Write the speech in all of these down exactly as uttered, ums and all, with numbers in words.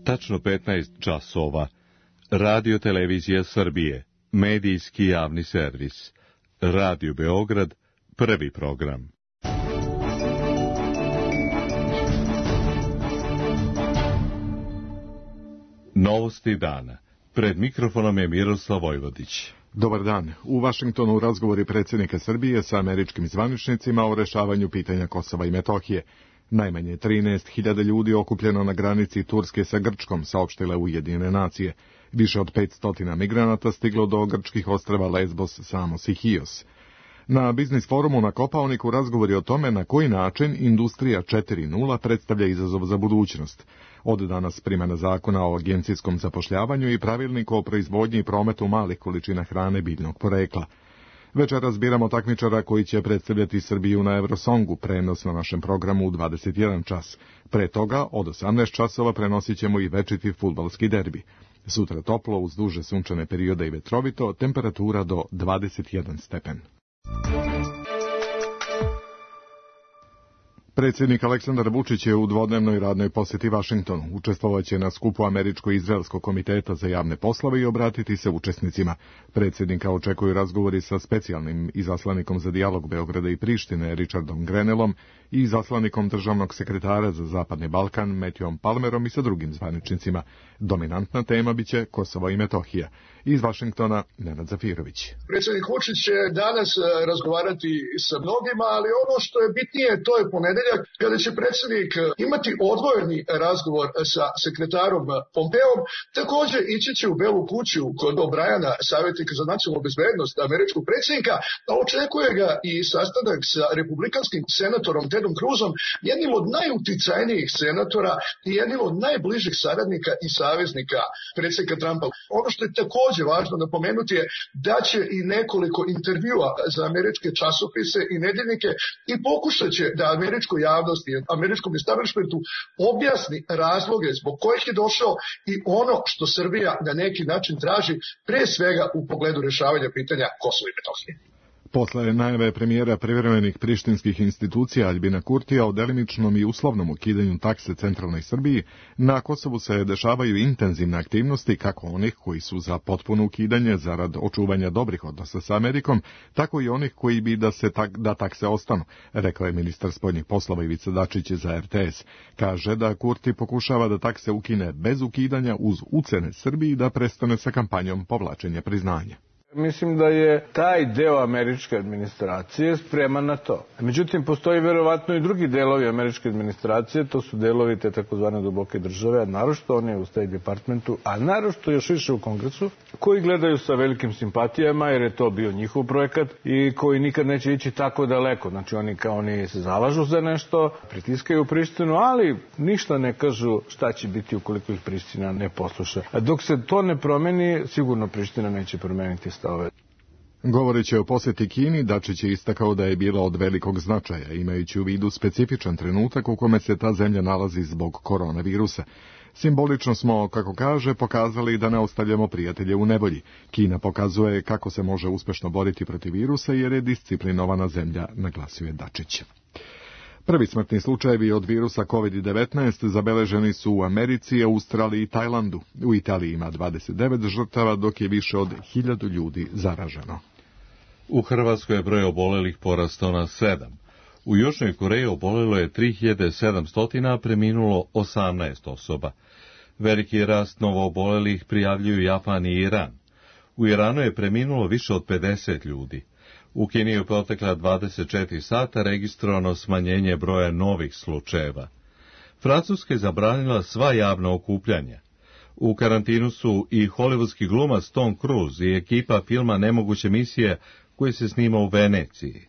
tačno petnaest časova. Radio Televizija Srbije, medijski javni servis. Radio Beograd, prvi program. Novosti dana. Pred mikrofonom je Miroslav Vojvodić. Dobar dan. U Vašingtonu razgovori predsjednika Srbije sa američkim zvaničnicima o rešavanju pitanja Kosova i Metohije. Najmanje trinaest hiljada ljudi okupljeno na granici Turske sa Grčkom, saopštile Ujedinjene nacije. Više od petsto migranata stiglo do grčkih ostrva Lesbos, Samos i Hios. Na biznis forumu na Kopaoniku razgovori o tome na koji način industrija četiri nula predstavlja izazov za budućnost. Od danas primjena zakona o agencijskom zapošljavanju i pravilnik o proizvodnji i prometu malih količina hrane biljnog porekla. Večeras biramo takmičara koji će predstavljati Srbiju na Eurosongu, prenos na našem programu u dvadeset jedan čas. Pre toga, od osamnaest časova prenosit ćemo i večiti fudbalski derbi. Sutra toplo, uz duže sunčane periode i vetrovito, temperatura do dvadeset jedan stepen. Predsjednik Aleksandar Vučić je u dvodnevnoj radnoj posjeti Vašingtonu. Učestvovaće na skupu Američko-Izraelskog komiteta za javne poslove i obratiti se učesnicima. Predsjednika očekuju razgovori sa specijalnim izaslanikom za dijalog Beograda i Prištine Richardom Grenellom i izaslanikom državnog sekretara za Zapadni Balkan Matthewom Palmerom i sa drugim zvaničnicima. Dominantna tema biće Kosovo i Metohija. Iz Vašingtona Nenad Zafirović. Predsjednik Vučić će danas razgovarati sa mnogima, ali ono što je bitnije, to je ponedeljak, kada će predsjednik imati odvojeni razgovor sa sekretarom Pompeom. Također ići će u Belu kuću kod O'Briana, savjetnika za nacionalnu bezbednost američkog predsjednika, a očekuje ga i sastanak sa republikanskim senatorom Tedom Cruzom, jednim od najuticajnijih senatora i jednim od najbližih saradnika i saveznika predsjednika Trumpa. Ono što je također važno napomenuti je da će i nekoliko intervjua za američke časopise i nedeljnike i pokušat će da američkoj javnosti, američkom establishmentu objasni razloge zbog kojih je došao i ono što Srbija na neki način traži, pre svega u pogledu rješavanja pitanja Kosova i Metohije. Posle najave premijera privremenih prištinskih institucija Aljbina Kurtija o delimičnom i uslovnom ukidanju takse centralnoj Srbiji, na Kosovu se dešavaju intenzivne aktivnosti kako onih koji su za potpuno ukidanje zarad očuvanja dobrih odnosa sa Amerikom, tako i onih koji bi da se tak, da takse ostanu, rekao je ministar spoljnih poslova Ivica Dačić za er te es. Kaže da Kurti pokušava da takse ukine bez ukidanja uz ucene Srbiji da prestane sa kampanjom povlačenja priznanja. Mislim da je taj deo američke administracije spreman na to. Međutim, postoji verovatno i drugi delovi američke administracije, to su delovi te takozvane duboke države, a naročito one u State Departmentu, a naročito još više u Kongresu, koji gledaju sa velikim simpatijama, jer je to bio njihov projekat i koji nikad neće ići tako daleko. Znači, oni kao oni se zalažu za nešto, pritiskaju Prištinu, ali ništa ne kažu šta će biti ukoliko ih Priština ne posluša. A dok se to ne promeni, sigurno Priština neće promeniti stave. Govoreći o posjeti Kini, Dačić je istakao da je bila od velikog značaja, imajući u vidu specifičan trenutak u kome se ta zemlja nalazi zbog koronavirusa. Simbolično smo, kako kaže, pokazali da ne ostavljamo prijatelje u nevolji. Kina pokazuje kako se može uspešno boriti protiv virusa jer je disciplinovana zemlja, naglasio je Dačić. Prvi smrtni slučajevi od virusa kovid devetnaest zabeleženi su u Americi, Australiji i Tajlandu. U Italiji ima dvadeset devet žrtava, dok je više od hiljadu ljudi zaraženo. U Hrvatskoj je broj obolelih porastao na sedam. U Južnoj Koreji obolelo je tri hiljade sedamsto, a preminulo osamnaest osoba. Veliki rast novoobolelih prijavljuju Japan i Iran. U Iranu je preminulo više od pedeset ljudi. U Kini je protekla dvadeset četiri sata registrovano smanjenje broja novih slučajeva. Francuska je zabranila sva javna okupljanja. U karantinu su i hollywoodski glumac Tom Cruise i ekipa filma Nemoguće misije koji se snima u Veneciji.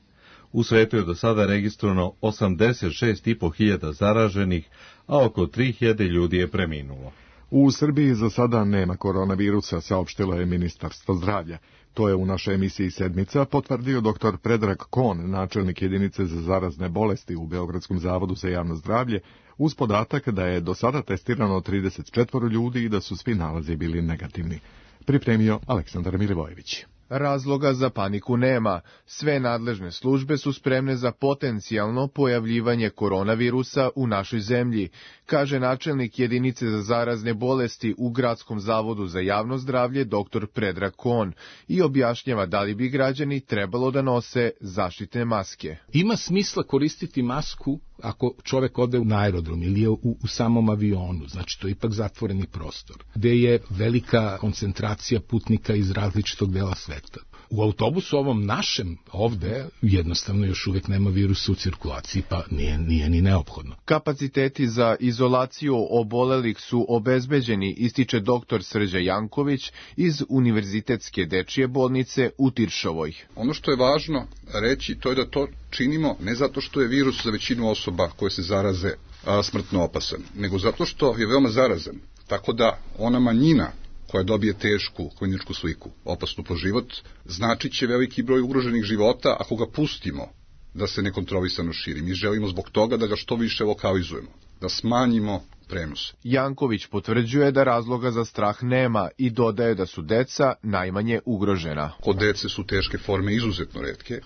U svetu je do sada registrovano osamdeset šest i po hiljada zaraženih, a oko tri hiljade ljudi je preminulo. U Srbiji za sada nema koronavirusa, saopštilo je Ministarstvo zdravlja. To je u našoj emisiji Sedmica potvrdio doktor Predrag Kon, načelnik jedinice za zarazne bolesti u Beogradskom zavodu za javno zdravlje, uz podatak da je do sada testirano trideset četiri ljudi i da su svi nalazi bili negativni. Pripremio Aleksandar Milivojević. Razloga za paniku nema. Sve nadležne službe su spremne za potencijalno pojavljivanje koronavirusa u našoj zemlji, kaže načelnik jedinice za zarazne bolesti u Gradskom zavodu za javno zdravlje dr Predrag Kon i objašnjava da li bi građani trebalo da nose zaštitne maske. Ima smisla koristiti masku ako čovek ode na aerodrom ili je u, u samom avionu, znači to je ipak zatvoreni prostor, gde je velika koncentracija putnika iz različitog dela sveta. U autobusu ovom našem ovde jednostavno još uvek nema virusa u cirkulaciji, pa nije, nije ni neophodno. Kapaciteti za izolaciju obolelih su obezbeđeni, ističe dr Srđa Janković iz Univerzitetske dečije bolnice u Tiršovoj. Ono što je važno reći, to je da to činimo ne zato što je virus za većinu osoba koje se zaraze a, smrtno opasan, nego zato što je veoma zarazan. Tako da ona manjina koja dobije tešku kliničku sliku, opasnu po život, značit će veliki broj ugroženih života ako ga pustimo da se nekontrolisano širi. Mi želimo zbog toga da ga što više lokalizujemo, da smanjimo prenos. Janković potvrđuje da razloga za strah nema i dodaje da su deca najmanje ugrožena. Kod dece su teške forme izuzetno retke,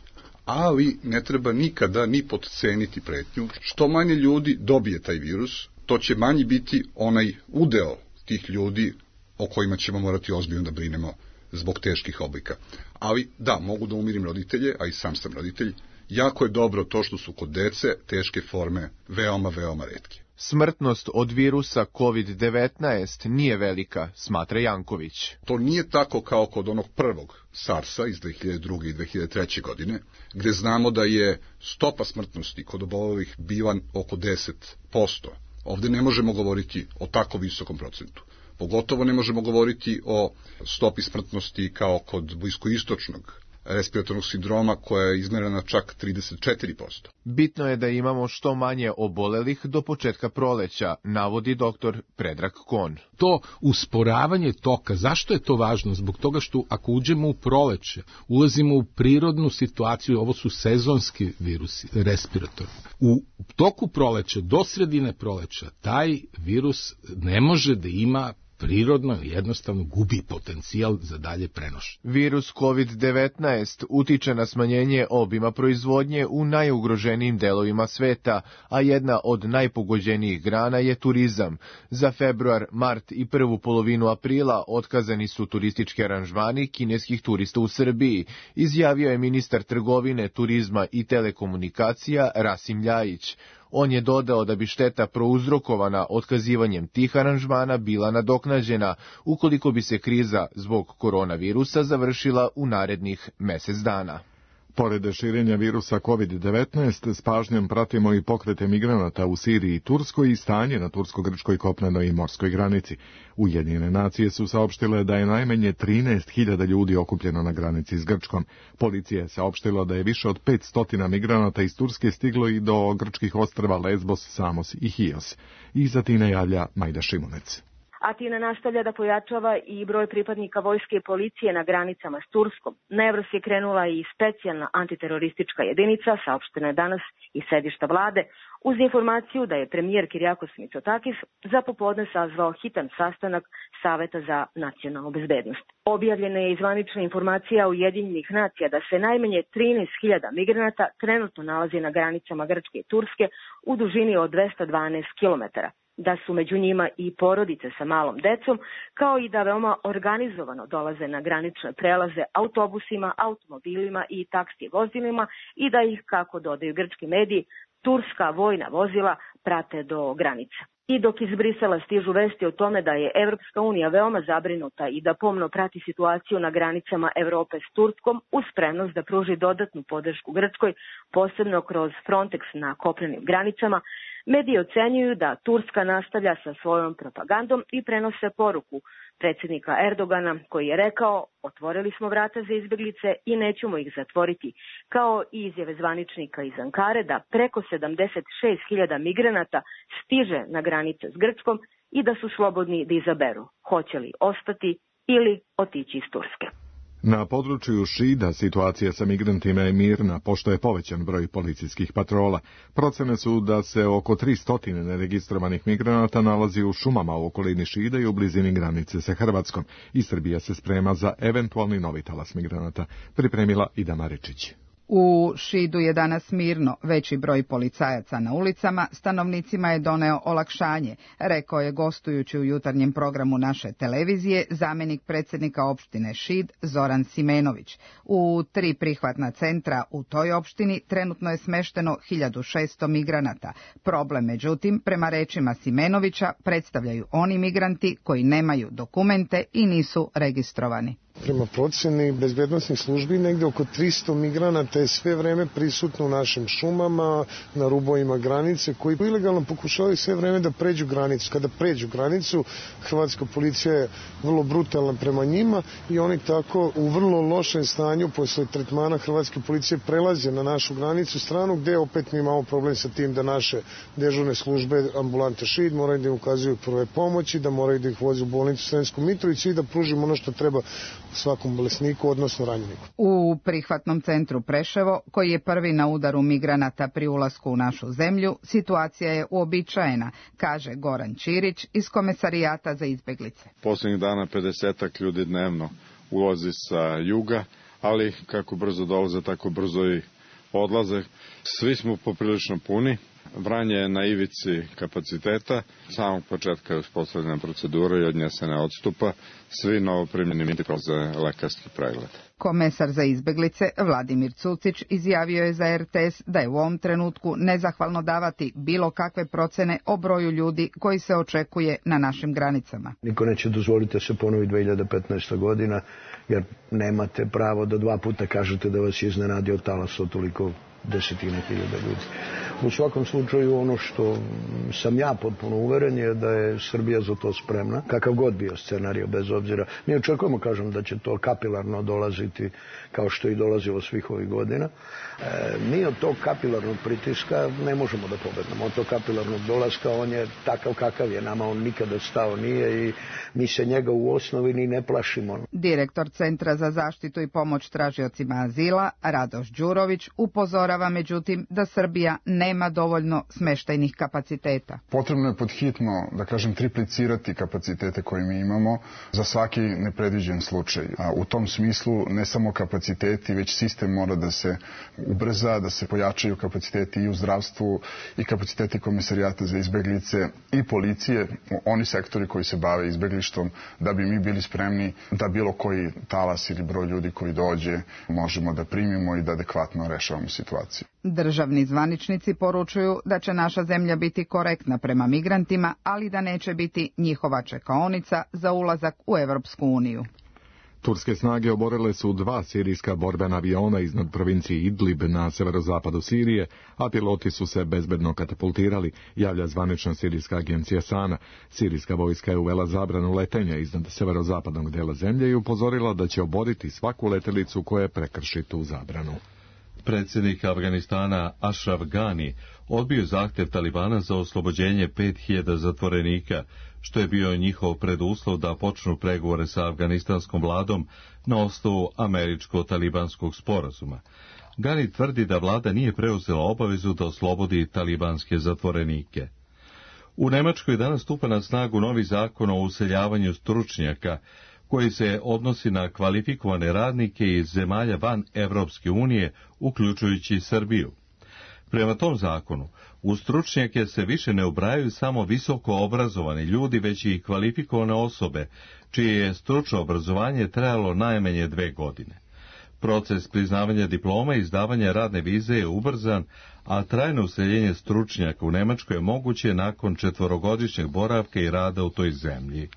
ali ne treba nikada ni potceniti pretnju. Što manje ljudi dobije taj virus, to će manji biti onaj udeo tih ljudi o kojima ćemo morati ozbiljno da brinemo zbog teških oblika. Ali da, mogu da umirim roditelje, a i sam sam roditelj, jako je dobro to što su kod dece teške forme veoma, veoma retke. Smrtnost od virusa kovid devetnaest nije velika, smatra Janković. To nije tako kao kod onog prvog SARS-a iz dve hiljade druge i dve hiljade treće godine, gde znamo da je stopa smrtnosti kod obolelih bila oko deset posto. Ovde ne možemo govoriti o tako visokom procentu. Pogotovo ne možemo govoriti o stopi smrtnosti kao kod bliskoistočnog respiratornog sindroma koja je izmerena čak trideset četiri posto. Bitno je da imamo što manje obolelih do početka proleća, navodi dr Predrag Kon. To usporavanje toka, zašto je to važno? Zbog toga što ako uđemo u proleće, ulazimo u prirodnu situaciju, ovo su sezonski virusi, respiratorni. U toku proleća, do sredine proleća, taj virus ne može da ima prirodno jednostavno gubi potencijal za dalje prenošenje. Virus kovid devetnaest utiče na smanjenje obima proizvodnje u najugroženijim delovima sveta, a jedna od najpogođenijih grana je turizam. Za februar, mart i prvu polovinu aprila otkazani su turistički aranžmani kineskih turista u Srbiji, izjavio je ministar trgovine, turizma i telekomunikacija Rasim Ljajić. On je dodao da bi šteta prouzrokovana otkazivanjem tih aranžmana bila nadoknađena ukoliko bi se kriza zbog koronavirusa završila u narednih mesec dana. Pored širenja virusa kovid devetnaest, s pažnjom pratimo i pokrete migranata u Siriji i Turskoj i stanje na tursko-grčkoj kopnenoj i morskoj granici. Ujedinjene nacije su saopštile da je najmanje trinaest hiljada ljudi okupljeno na granici s Grčkom. Policija je saopštila da je više od petsto migranata iz Turske stiglo i do grčkih ostrva Lesbos, Samos i Hios. Iz Atine javlja Majda Šimunec. Atina nastavlja da pojačava i broj pripadnika vojske i policije na granicama s Turskom. Na Evros je krenula i specijalna antiteroristička jedinica, saopštena je danas iz sedišta vlade, uz informaciju da je premijer Kirijakos Mitsotakis za popodne sazvao hitan sastanak Saveta za nacionalnu bezbednost. Objavljena je zvanična informacija Ujedinjenih nacija da se najmanje trinaest hiljada migranata trenutno nalazi na granicama Grčke i Turske u dužini od dvesta dvanaest kilometara. Da su među njima i porodice sa malom decom, kao i da veoma organizovano dolaze na granične prelaze autobusima, automobilima i taksi vozilima i da ih, kako dodaju grčki mediji, turska vojna vozila prate do granica. I dok iz Brisela stižu vesti o tome da je Evropska unija veoma zabrinuta i da pomno prati situaciju na granicama Evrope s Turskom uz spremnost da pruži dodatnu podršku Grčkoj, posebno kroz Frontex na kopnenim granicama, mediji ocenjuju da Turska nastavlja sa svojom propagandom i prenose poruku predsjednika Erdogana koji je rekao: otvorili smo vrata za izbjeglice i nećemo ih zatvoriti, kao i izjave zvaničnika iz Ankare da preko sedamdeset šest hiljada migranata stiže na granice s Grčkom i da su slobodni da izaberu hoće li ostati ili otići iz Turske. Na području Šida situacija sa migrantima je mirna, pošto je povećan broj policijskih patrola. Procene su da se oko tristo neregistrovanih migranata nalazi u šumama u okolini Šida i u blizini granice sa Hrvatskom. I Srbija se sprema za eventualni novi talas migranata. Pripremila Ida Maričić. U Šidu je danas mirno, veći broj policajaca na ulicama, stanovnicima je doneo olakšanje, rekao je gostujući u jutarnjem programu naše televizije zamjenik predsjednika opštine Šid Zoran Simenović. U tri prihvatna centra u toj opštini trenutno je smešteno hiljadu šesto migranata. Problem, međutim, prema rečima Simenovića, predstavljaju oni migranti koji nemaju dokumente i nisu registrovani. Prema proceni bezbednosnih službi negde oko tristo migranata je sve vreme prisutno u našim šumama, na rubovima granice, koji ilegalno pokušavaju sve vreme da pređu granicu. Kada pređu granicu, hrvatska policija je vrlo brutalna prema njima i oni tako u vrlo lošem stanju posle tretmana hrvatske policije prelaze na našu granicu stranu, gde opet mi imamo problem sa tim da naše dežurne službe ambulante Šid moraju da im ukazuju prve pomoći, da moraju da ih voze u bolnicu Sremsku Mitrovicu i da pružimo ono što treba svakom bolesniku, odnosno ranjeniku. U prihvatnom centru Preševo, koji je prvi na udaru migranata pri ulasku u našu zemlju, situacija je uobičajena, kaže Goran Ćirić iz Komesarijata za izbeglice. Poslednjih dana pedesetak ljudi dnevno ulazi sa juga, ali kako brzo dolaze, tako brzo i odlaze. Svi smo poprilično puni. Vranje je na ivici kapaciteta, samog početka je uspostavljena procedura i od nje se ne odstupa. Svi novoprimljeni migranti prolaze lekarski pregled. Komesar za izbeglice Vladimir Cucić izjavio je za R T S da je u ovom trenutku nezahvalno davati bilo kakve procene o broju ljudi koji se očekuje na našim granicama. Niko neće dozvoliti da se ponovi dve hiljade petnaesta godina, jer nemate pravo da dva puta kažete da vas je iznenadio talas od toliko desetine hiljada ljudi. U svakom slučaju ono što sam ja potpuno uveren je da je Srbija za to spremna, kakav god bio scenario bez obzira. Mi očekujemo, kažem, da će to kapilarno dolaziti kao što i dolazilo svih ovih godina. E, mi od tog kapilarnog pritiska ne možemo da pobednemo. Od tog kapilarnog dolaska on je takav kakav je, nama on nikada stao nije i mi se njega u osnovi ni ne plašimo. Direktor Centra za zaštitu i pomoć tražiocima azila, Radoš Đurović, upozorava međutim da Srbija nema dovoljno smeštajnih kapaciteta. Potrebno je podhitno, da kažem, triplicirati kapacitete koje mi imamo za svaki nepredviđen slučaj. A u tom smislu ne samo kapaciteti, već sistem mora da se ubrza, da se pojačaju kapaciteti i u zdravstvu i kapaciteti Komesarijata za izbeglice i policije, oni sektori koji se bave izbeglištvom, da bi mi bili spremni da bilo koji talas ili broj ljudi koji dođe možemo da primimo i da adekvatno rešavamo situaciju. Državni zvaničnici poručuju da će naša zemlja biti korektna prema migrantima, ali da neće biti njihova čekaonica za ulazak u Evropsku uniju. Turske snage oborile su dva sirijska borbena aviona iznad provincije Idlib na severozapadu Sirije, a piloti su se bezbedno katapultirali, javlja zvanična sirijska agencija Sana. Sirijska vojska je uvela zabranu letenja iznad severozapadnog dela zemlje i upozorila da će oboriti svaku letelicu koja prekrši tu zabranu. Predsjednik Afganistana Ashraf Ghani odbio zahtjev Talibana za oslobođenje pet hiljada zatvorenika, što je bio njihov preduslov da počnu pregovore sa afganistanskom vladom na osnovu američko-talibanskog sporazuma. Ghani tvrdi da vlada nije preuzela obavezu da oslobodi talibanske zatvorenike. U Nemačkoj danas stupa na snagu novi zakon o useljavanju stručnjaka, koji se odnosi na kvalifikovane radnike iz zemalja van Evropske unije, uključujući Srbiju. Prema tom zakonu, u stručnjake se više ne ubrajaju samo visoko obrazovani ljudi, već i kvalifikovane osobe, čije je stručno obrazovanje trajalo najmanje dve godine. Proces priznavanja diploma i izdavanja radne vize je ubrzan, a trajno useljenje stručnjaka u Nemačkoj je moguće nakon četvorogodišnjeg boravka i rada u toj zemlji.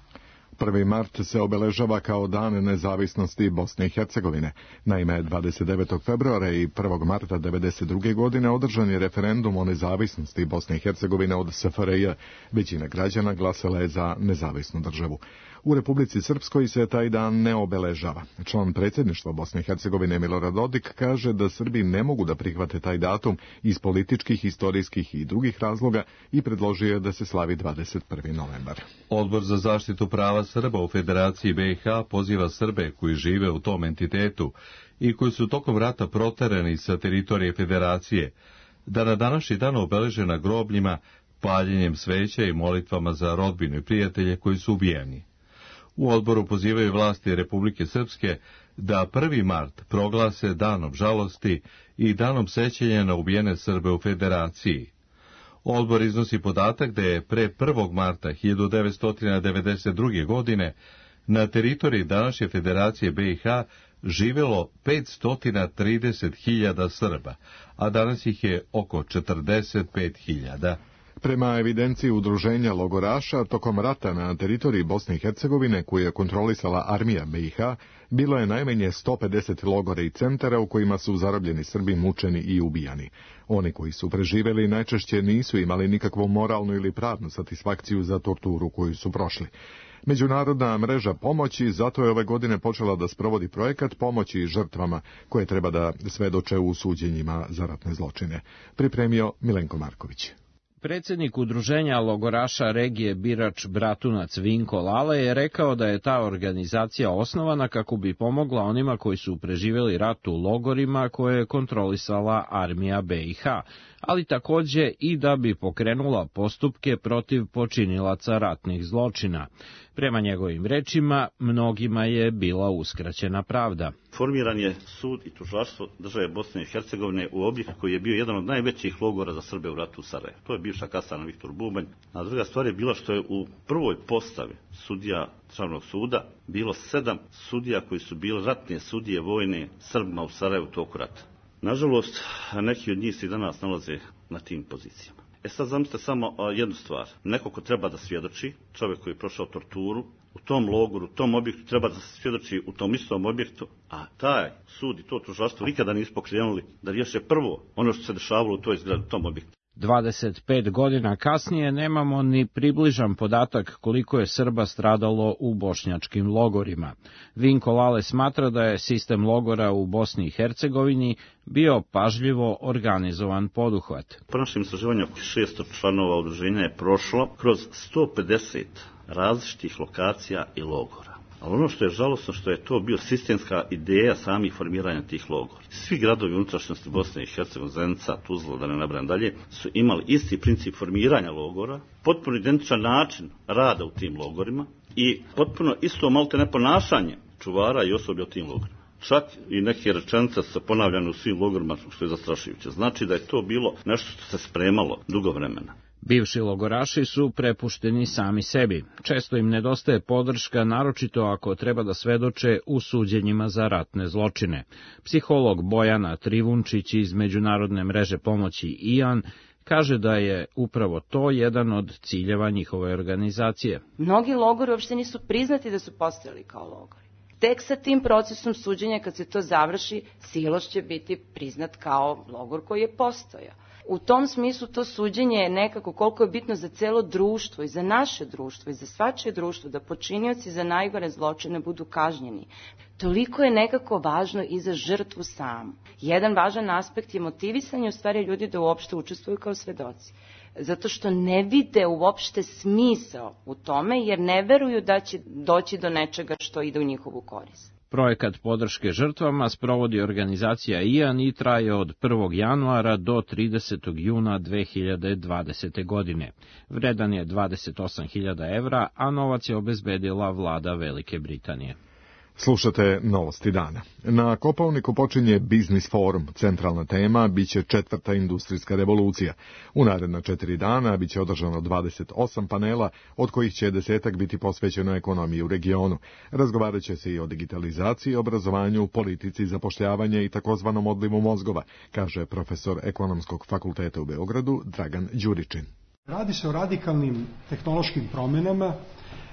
prvi mart se obeležava kao dan nezavisnosti Bosne i Hercegovine. Naime, dvadeset devetog februara i prvog marta devedeset druge godine održan je referendum o nezavisnosti Bosne i Hercegovine od S F R J. Većina građana glasala je za nezavisnu državu. U Republici Srpskoj se taj dan ne obeležava. Član predsjedništva Bosne i Hercegovine Milorad Dodik kaže da Srbi ne mogu da prihvate taj datum iz političkih, historijskih i drugih razloga i predložio je da se slavi dvadeset prvi novembar. Odbor za zaštitu prava Srba u Federaciji B i H poziva Srbe koji žive u tom entitetu i koji su tokom rata proterani sa teritorije Federacije, da na današnji dan obeleže na grobljima paljenjem sveća i molitvama za rodbinu i prijatelje koji su ubijeni. U odboru pozivaju vlasti Republike Srpske da prvi mart proglase danom žalosti i danom sećanja na ubijene Srbe u Federaciji. Odbor iznosi podatak da je pre prvog marta hiljadu devetsto devedeset druge. godine na teritoriji današnje Federacije B i H živelo petsto trideset hiljada Srba, a danas ih je oko četrdeset pet hiljada. Prema evidenciji udruženja logoraša, tokom rata na teritoriji Bosne i Hercegovine, koju je kontrolisala armija B i H, bilo je najmanje sto pedeset logora i centara u kojima su zarobljeni Srbi mučeni i ubijani. Oni koji su preživeli najčešće nisu imali nikakvu moralnu ili pravnu satisfakciju za torturu koju su prošli. Međunarodna mreža pomoći zato je ove godine počela da sprovodi projekat pomoći žrtvama koje treba da svedoče u suđenjima za ratne zločine. Pripremio Milenko Marković. Predsjednik udruženja logoraša regije Birač Bratunac Vinko Lale je rekao da je ta organizacija osnovana kako bi pomogla onima koji su preživjeli rat u logorima koje je kontrolisala armija B i H, ali također i da bi pokrenula postupke protiv počinilaca ratnih zločina. Prema njegovim rečima, mnogima je bila uskraćena pravda. Formiran je sud i tužilaštvo države Bosne i Hercegovine u objektu koji je bio jedan od najvećih logora za Srbe u ratu u Sarajevu. To je bivša kasarna Viktor Bubanj. A druga stvar je bila što je u prvoj postavi sudija državnog suda bilo sedam sudija koji su bili ratne sudije vojne Srbima u Sarajevu toku rata. Nažalost, neki od njih se i danas nalaze na tim pozicijama. E sad zamislite samo jednu stvar. Neko ko treba da svjedoči, čovjek koji je prošao torturu, u tom logoru, u tom objektu treba da se svjedoči u tom istom objektu, a taj sud i to tužilaštvo nikada nisu pokrenuli da riješe prvo ono što se dešavalo u toj zgradi, u tom objektu. dvadeset pet godina kasnije nemamo ni približan podatak koliko je Srba stradalo u bošnjačkim logorima. Vinko Lale smatra da je sistem logora u Bosni i Hercegovini bio pažljivo organizovan poduhvat. Po našem istraživanju oko šesto članova udruženja je prošlo kroz sto pedeset različitih lokacija i logora. Ali ono što je žalosno što je to bio sistemska ideja samih formiranja tih logora. Svi gradovi unutrašnjosti Bosne i Hercegovine, Zenica, Tuzla, da ne nabrajam dalje, su imali isti princip formiranja logora, potpuno identičan način rada u tim logorima i potpuno isto malte neponašanje čuvara i osoblja u tim logorima. Čak i neke rečenice su ponavljane u svim logorima, što je zastrašujuće. Znači da je to bilo nešto što se spremalo dugo vremena. Bivši logoraši su prepušteni sami sebi. Često im nedostaje podrška, naročito ako treba da svedoče u suđenjima za ratne zločine. Psiholog Bojana Trivunčić iz Međunarodne mreže pomoći I A N kaže da je upravo to jedan od ciljeva njihove organizacije. Mnogi logori uopšte nisu priznati da su postojali kao logori. Tek sa tim procesom suđenja, kad se to završi, Siloš će biti priznat kao logor koji je postojao. U tom smislu to suđenje je nekako koliko je bitno za celo društvo i za naše društvo i za svačije društvo da počinioci za najgore zločine budu kažnjeni. Toliko je nekako važno i za žrtvu samu. Jedan važan aspekt je motivisanje u stvari ljudi da uopšte učestvuju kao svedoci. Zato što ne vide uopšte smisao u tome jer ne veruju da će doći do nečega što ide u njihovu korist. Projekat podrške žrtvama sprovodi organizacija I A N i traje od prvog januara do tridesetog juna dve hiljade dvadesete. godine. Vredan je dvadeset osam hiljada evra, a novac je obezbedila vlada Velike Britanije. Slušate Novosti dana. Na Kopaoniku počinje Biznis forum. Centralna tema biće četvrta industrijska revolucija. U naredna četiri dana biće održano dvadeset osam panela, od kojih će desetak biti posvećeno ekonomiji u regionu. Razgovarat će se i o digitalizaciji, obrazovanju, politici, zapošljavanje i takozvanom odlivu mozgova, kaže profesor Ekonomskog fakulteta u Beogradu Dragan Đuričin. Radi se o radikalnim tehnološkim promjenama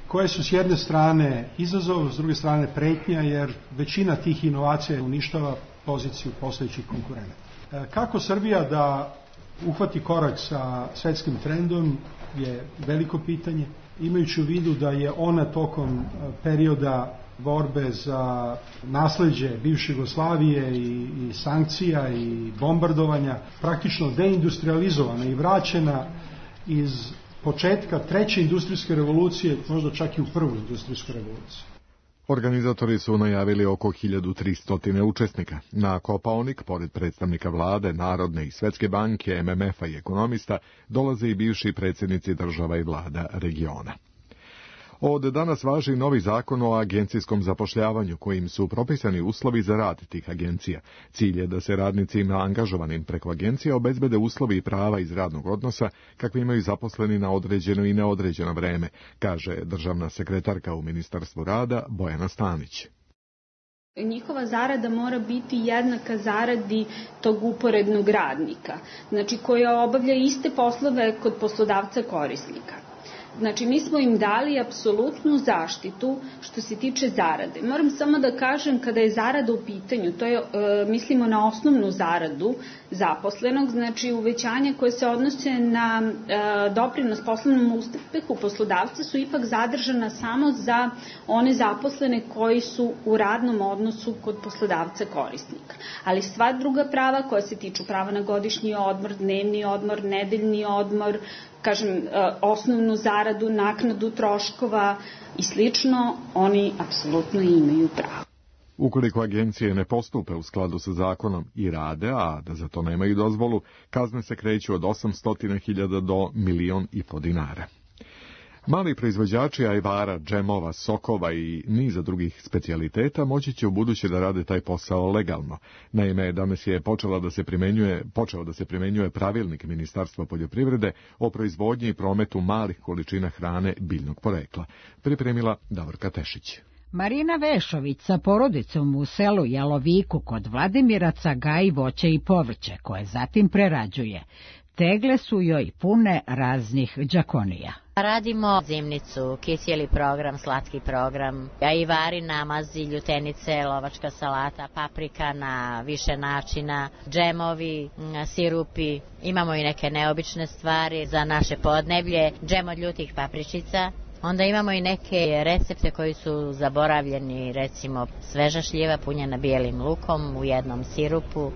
koje su s jedne strane izazov, s druge strane pretnja, jer većina tih inovacija uništava poziciju postojećih konkurenata. Kako Srbija da uhvati korak sa svetskim trendom je veliko pitanje, imajući u vidu da je ona tokom perioda borbe za nasleđe bivše Jugoslavije i, i sankcija i bombardovanja praktično deindustrializovana i vraćena iz početka treće industrijske revolucije, možda čak i u prvu industrijsku revoluciju. Organizatori su najavili oko hiljadu tristo učesnika. Na Kopaonik, pored predstavnika vlade, Narodne i Svetske banke, M M F-a i ekonomista, dolaze i bivši predsjednici država i vlada regiona. Od danas važi novi zakon o agencijskom zapošljavanju, kojim su propisani uslovi za rad tih agencija. Cilj je da se radnicima angažovanim preko agencija obezbede uslovi i prava iz radnog odnosa kakvi imaju zaposleni na određeno i neodređeno vreme, kaže državna sekretarka u Ministarstvu rada Bojana Stanić. Njihova zarada mora biti jednaka zaradi tog uporednog radnika, znači koja obavlja iste poslove kod poslodavca korisnika. Znači, mi smo im dali apsolutnu zaštitu što se tiče zarade. Moram samo da kažem, kada je zarada u pitanju, to je, e, mislimo na osnovnu zaradu zaposlenog, znači uvećanje koje se odnose na e, doprinos poslovnom uspehu poslodavca su ipak zadržana samo za one zaposlene koji su u radnom odnosu kod poslodavca korisnika. Ali sva druga prava koja se tiču prava na godišnji odmor, dnevni odmor, nedeljni odmor, kažem, osnovnu zaradu, naknadu troškova i slično, oni apsolutno imaju pravo. Ukoliko agencije ne postupe u skladu sa zakonom i rade, a da za to nemaju dozvolu, kazne se kreću od osamsto hiljada do milion i po dinara. Mali proizvođači ajvara, džemova, sokova i niza drugih specijaliteta moći će u buduće da rade taj posao legalno. Naime, danas je počela da se primenjuje, počeo da se primenjuje pravilnik Ministarstva poljoprivrede o proizvodnji i prometu malih količina hrane biljnog porekla. Pripremila Davorka Tešić. Marina Vešović sa porodicom u selu Jaloviku kod Vladimiraca gaji voće i povrće, koje zatim prerađuje. Tegle su joj pune raznih đakonija. Radimo zimnicu, kisjeli program, slatki program, ajvari, namazi, ljutenice, lovačka salata, paprika na više načina, džemovi, sirupi. Imamo i neke neobične stvari za naše podneblje, džem od ljutih papričica. Onda imamo i neke recepte koji su zaboravljeni, recimo sveža šljiva punjena bijelim lukom u jednom sirupu.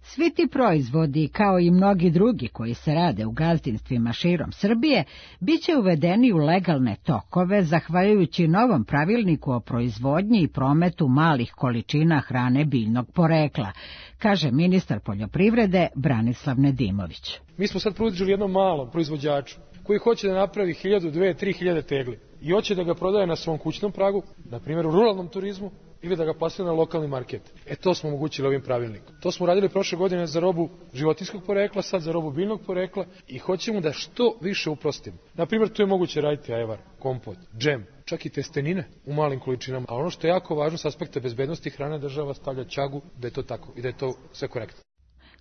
Svi ti proizvodi, kao i mnogi drugi koji se rade u gazdinstvima širom Srbije, bit će uvedeni u legalne tokove zahvaljujući novom pravilniku o proizvodnji i prometu malih količina hrane biljnog porekla, kaže ministar poljoprivrede Branislav Nedimović. Mi smo sad pružili jednom malom proizvođaču koji hoće da napravi hiljadu, dve, tri hiljade tegli i hoće da ga prodaje na svom kućnom pragu, na primjer u ruralnom turizmu, ili da ga plasira na lokalni market. E to smo omogućili ovim pravilnikom. To smo radili prošle godine za robu životinjskog porekla, sad za robu biljnog porekla i hoćemo da što više uprostimo. Na primjer, tu je moguće raditi ajvar, kompot, džem, čak i testenine u malim količinama. A ono što je jako važno s aspekta bezbednosti hrane, država stavlja ćagu da je to tako i da je to sve korektno.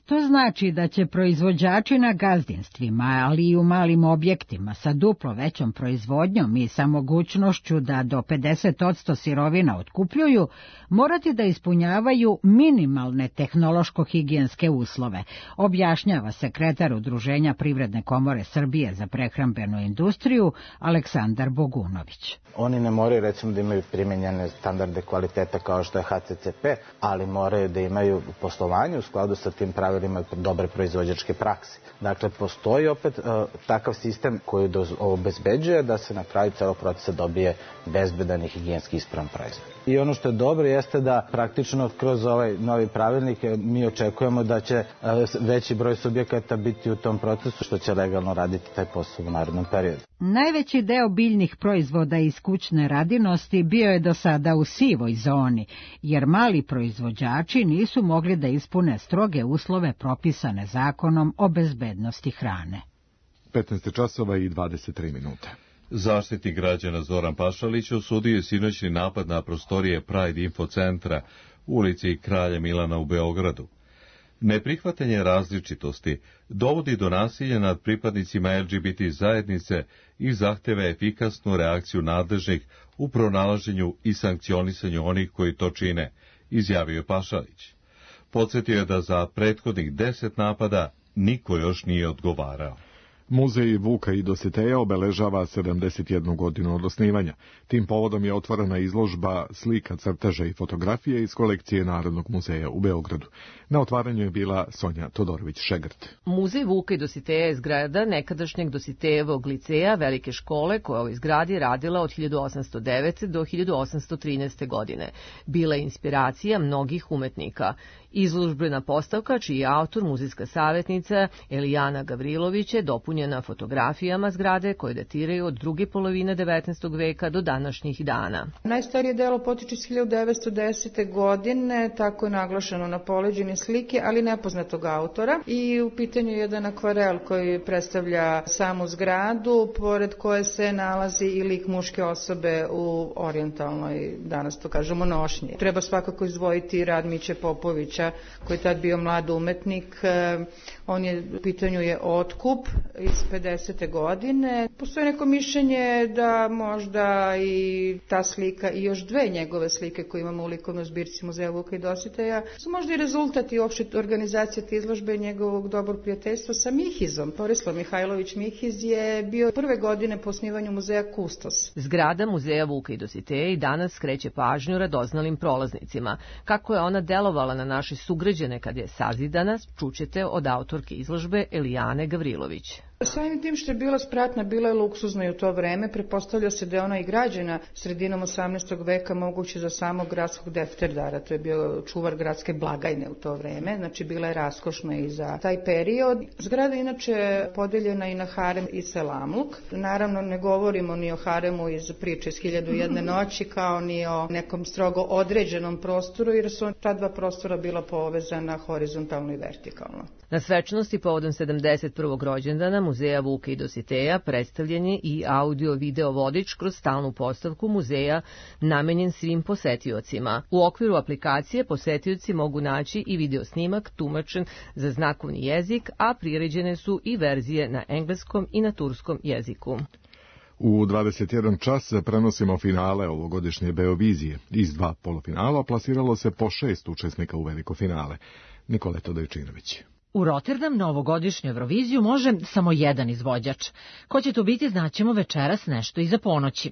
To znači da će proizvođači na gazdinstvima, ali i u malim objektima sa duplo većom proizvodnjom i sa mogućnošću da do pedeset posto sirovina otkupljuju, morati da ispunjavaju minimalne tehnološko-higijenske uslove, objašnjava sekretar Udruženja Privredne komore Srbije za prehrambenu industriju Aleksandar Bogunović. Oni ne moraju, recimo, da imaju primenjene standarde kvaliteta kao što je H C C P, ali moraju da imaju u poslovanju u skladu sa tim pravilima dobre proizvođačke prakse. Dakle, postoji opet uh, takav sistem koji obezbeđuje da se na kraju celog procesa dobije bezbedan i higijenski ispravan proizvod. I ono što je dobro jeste da praktično kroz ovaj novi pravilnik mi očekujemo da će uh, veći broj subjekata biti u tom procesu što će legalno raditi taj posao u narednom periodu. Najveći deo biljnih proizvoda iz kućne radinosti bio je do sada u sivoj zoni, jer mali proizvođači nisu mogli da ispune stroge uslove propisane zakonom o bezbednosti hrane. petnaest časova i dvadeset tri minute. Zaštitnik građana Zoran Pašalić osudio je sinoćni napad na prostorije Pride Info centra u ulici Kralja Milana u Beogradu. Neprihvatanje različitosti dovodi do nasilja nad pripadnicima L G B T zajednice i zahteva efikasnu reakciju nadležnih u pronalaženju i sankcionisanju onih koji to čine, izjavio je Pašalić. Podsjetio je da za prethodnih deset napada niko još nije odgovarao. Muzej Vuka i Dositeja obeležava sedamdeset jednu godinu od osnivanja. Tim povodom je otvorena izložba slika, crteža i fotografije iz kolekcije Narodnog muzeja u Beogradu. Na otvaranju je bila Sonja Todorović-Šegrt. Muzej Vuka i Dositeja je zgrada nekadašnjeg Dositejevog liceja Velike škole koja je u ovoj zgradi radila od hiljadu osamsto devete. do hiljadu osamsto trinaeste. godine. Bila je inspiracija mnogih umetnika. Izložbena postavka, čiji je autor muzejska savjetnica Elijana Gavrilović, je dopunjena fotografijama zgrade koje datiraju od druge polovine devetnaestog veka do današnjih dana. Najstarije delo potiče iz hiljadu devetsto desete. godine, tako je naglašeno na poleđini slike, ali nepoznatog autora. I u pitanju je jedan akvarel koji predstavlja samu zgradu, pored koje se nalazi i lik muške osobe u orijentalnoj, danas to kažemo, nošnji. Treba svakako izdvojiti rad Miće Popovića, koji je tad bio mlad umetnik. On je, u pitanju je Otkup iz pedesete. godine. Postoji neko mišljenje da možda i ta slika i još dve njegove slike koje imamo u likovnoj zbirci Muzeja Vuka i Dositeja su možda i rezultat i uopšte organizacije te izložbe njegovog dobrog prijateljstva sa Mihizom. Borislav Mihajlović Mihiz je bio prve godine po osnivanju muzeja Kustos. Zgrada Muzeja Vuka i Dositeja i danas skreće pažnju radoznalim prolaznicima. Kako je ona delovala na naše sugrađane kad je sazidana, čućete od autorke izložbe Elijane Gavrilović. Samim tim što je bila spratna, bila je luksuzna i u to vreme, pretpostavlja se da je ona i građena sredinom osamnaestog veka, moguće za samog gradskog defterdara, to je bio čuvar gradske blagajne u to vreme, znači bila je raskošna i za taj period. Zgrada je inače podeljena i na harem i selamluk. Naravno ne govorimo ni o haremu iz priče iz hiljadu i jedne noći, kao ni o nekom strogo određenom prostoru, jer su ta dva prostora bila povezana horizontalno i vertikalno. Na svečanosti povodom sedamdeset prvog rođendana Muzeja Vuka i Dositeja predstavljen je i audio-video vodič kroz stalnu postavku muzeja namenjen svim posetiocima. U okviru aplikacije posetioci mogu naći i video snimak tumačen za znakovni jezik, a priređene su i verzije na engleskom i na turskom jeziku. U dvadeset jedan čas prenosimo finale ovogodišnje Beovizije. Iz dva polufinala plasiralo se po šest učesnika u veliko finale. Nikoleta Dojčinović. U Rotterdam na ovogodišnju Euroviziju može samo jedan izvođač. Ko će to biti, znaćemo večeras nešto iza ponoći.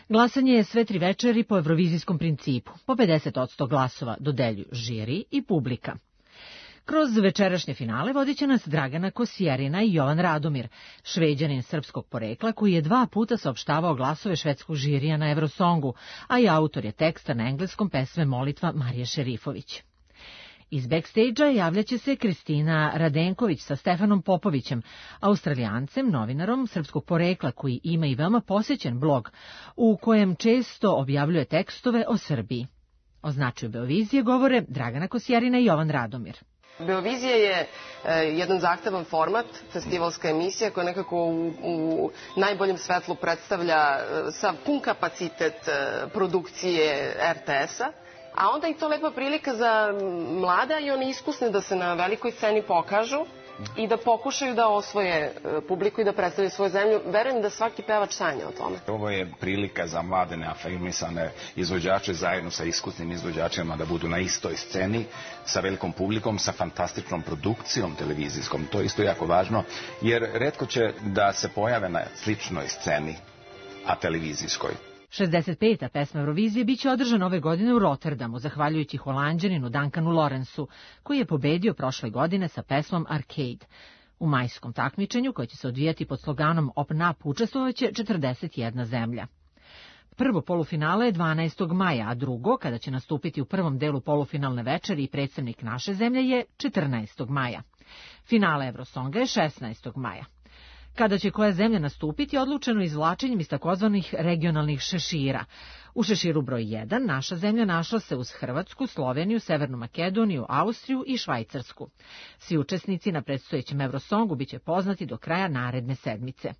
Glasanje je sve tri večeri po evrovizijskom principu. Po pedeset odsto glasova dodeljuju žiri i publika. Kroz večerašnje finale vodit će nas Dragana Kosjerina i Jovan Radomir, Šveđanin srpskog porekla koji je dva puta saopštavao glasove švedskog žirija na Eurosongu, a i autor je teksta na engleskom pesme Molitva Marije Šerifović. Iz backstage-a javljaće se Kristina Radenković sa Stefanom Popovićem, Australijancem, novinarom srpskog porekla koji ima i veoma posjećen blog u kojem često objavljuje tekstove o Srbiji. O značaju Beovizije govore Dragana Kosjerina i Jovan Radomir. Beovizija je e, jedan zahtevan format, festivalska emisija koja nekako u, u najboljem svetlu predstavlja e, sa pun kapacitet e, produkcije er te es-a. A onda i to lepa prilika za mlada i one iskusne da se na velikoj sceni pokažu i da pokušaju da osvoje publiku i da predstavljaju svoju zemlju. Verujem da svaki pevač sanja o tome. Ovo je prilika za mlade neafirmisane izvođače zajedno sa iskusnim izvođačima da budu na istoj sceni sa velikom publikom, sa fantastičnom produkcijom televizijskom. To je isto jako važno jer retko će da se pojave na sličnoj sceni, a televizijskoj. šezdeset peta pesma Eurovizije biće održana ove godine u Rotterdamu, zahvaljujući Holanđaninu Duncanu Lawrenceu, koji je pobedio prošle godine sa pesmom Arcade. U majskom takmičenju, koje će se odvijati pod sloganom Open Up, učestvovaće četrdeset jedna zemlja. Prvo polufinale je dvanaestog maja, a drugo, kada će nastupiti u prvom delu polufinalne večeri i predstavnik naše zemlje, je četrnaestog maja. Finale Eurosonga je šesnaestog maja. Kada će koja zemlja nastupiti, odlučeno izvlačenjem iz takozvanih regionalnih šešira. U šeširu broj jedan naša zemlja našla se uz Hrvatsku, Sloveniju, Severnu Makedoniju, Austriju i Švajcarsku. Svi učesnici na predstojećem Eurosongu biće poznati do kraja naredne sedmice.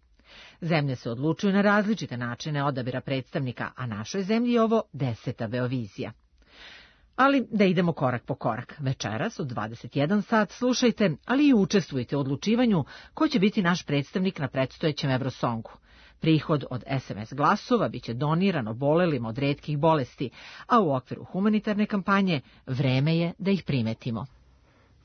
Zemlje se odlučuju na različite načine odabira predstavnika, a našoj zemlji je ovo deseta Beovizija. Ali da idemo korak po korak. Večeras od dvadeset jedan sat slušajte, ali i učestvujte u odlučivanju ko će biti naš predstavnik na predstojećem Eurosongu. Prihod od es em es glasova biće doniran obolelima od retkih bolesti, a u okviru humanitarne kampanje vreme je da ih primetimo.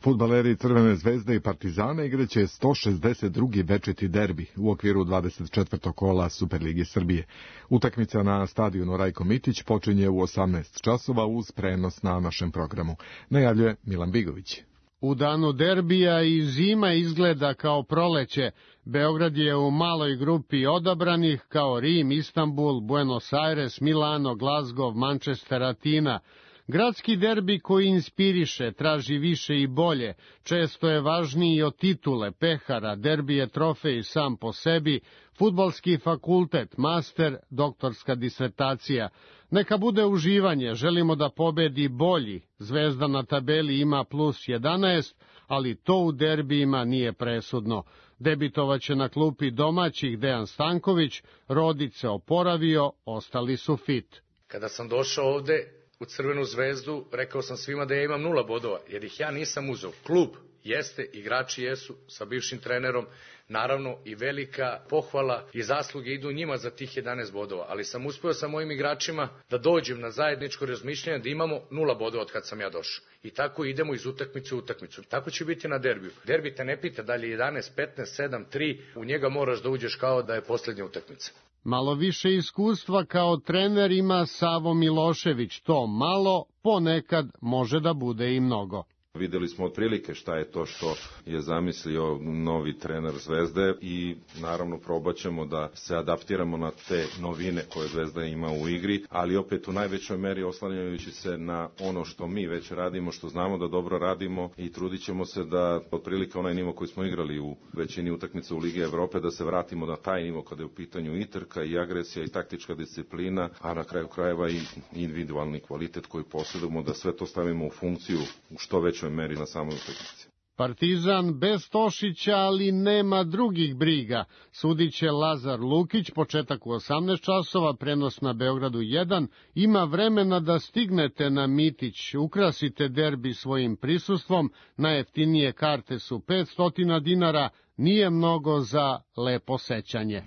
Fudbaleri Crvene zvezde i Partizana igraće sto šezdeset drugi večiti derbi u okviru dvadeset četvrtog kola Superligi Srbije. Utakmica na stadionu Rajko Mitić počinje u osamnaest časova uz prenos na našem programu. Najavljuje Milan Bigović. U danu derbija i zima izgleda kao proleće. Beograd je u maloj grupi odabranih kao Rim, Istanbul, Buenos Aires, Milano, Glasgow, Manchester, Atina. Gradski derbi koji inspiriše, traži više i bolje, često je važniji od titule, pehara, derbi je trofej sam po sebi, fudbalski fakultet, master, doktorska disertacija. Neka bude uživanje, želimo da pobedi bolji, Zvezda na tabeli ima plus jedanaest, ali to u derbijima nije presudno. Debitovaće na klupi domaćih Dejan Stanković, Rodić se oporavio, ostali su fit. Kada sam došao ovde u Crvenu zvezdu, rekao sam svima da ja imam nula bodova, jer ih ja nisam uzeo. Klub jeste, igrači jesu, sa bivšim trenerom, naravno i velika pohvala i zasluge idu njima za tih jedanaest bodova, ali sam uspeo sa mojim igračima da dođem na zajedničko razmišljanje da imamo nula bodova od kad sam ja došao. I tako idemo iz utakmice u utakmicu. Tako će biti na derbiju. Derbi te ne pita da li je jedanaest, petnaest, sedam, tri, u njega moraš da uđeš kao da je posljednja utakmica. Malo više iskustva kao trener ima Savo Milošević, to malo ponekad može da bude i mnogo. Videli smo otprilike šta je to što je zamislio novi trener Zvezde i naravno probat ćemo da se adaptiramo na te novine koje Zvezda ima u igri, ali opet u najvećoj meri oslanjajući se na ono što mi već radimo, što znamo da dobro radimo i trudit ćemo se da otprilike onaj nivo koji smo igrali u većini utakmica u Ligi Evrope, da se vratimo na taj nivo kada je u pitanju i trka i agresija i taktička disciplina, a na kraju krajeva i individualni kvalitet koji posjedujemo, da sve to stavimo u funkciju u što već meri na samoj utakmici. Partizan bez Tošića, ali nema drugih briga. Sudiće Lazar Lukić, početak u osamnaest časova, prenos na Beogradu jedan, ima vremena da stignete na Mitić, ukrasite derbi svojim prisustvom, najjeftinije karte su petsto dinara, nije mnogo za lepo sećanje.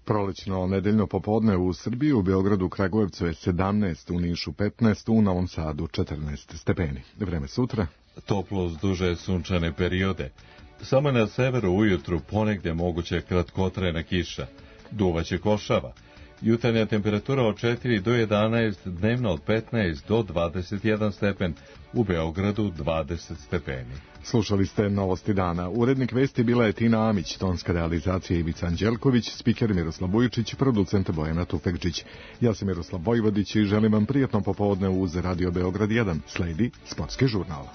Prolećno nedeljno popodne u Srbiji, u Beogradu, Kragujevcu je sedamnaest, u Nišu petnaest, u Novom Sadu četrnaest stepeni. Vreme sutra. Toplo uz duže sunčane periode. Samo na severu ujutru ponegdje moguće kratkotrajna kiša. Duvaće košava. Jutarnja temperatura od četiri do jedanaest, dnevno od petnaest do dvadeset jedan stepen, u Beogradu dvadeset stepeni. Slušali ste Novosti dana. Urednik vesti bila je Tina Amić, tonska realizacija Ivica Anđelković, spiker Miroslav Vujičić, producent Bojana Tufekčić. Ja sam Miroslav Vojvodić i želim vam prijatno popodne uz Radio Beograd jedan. Sledi Sportski žurnal.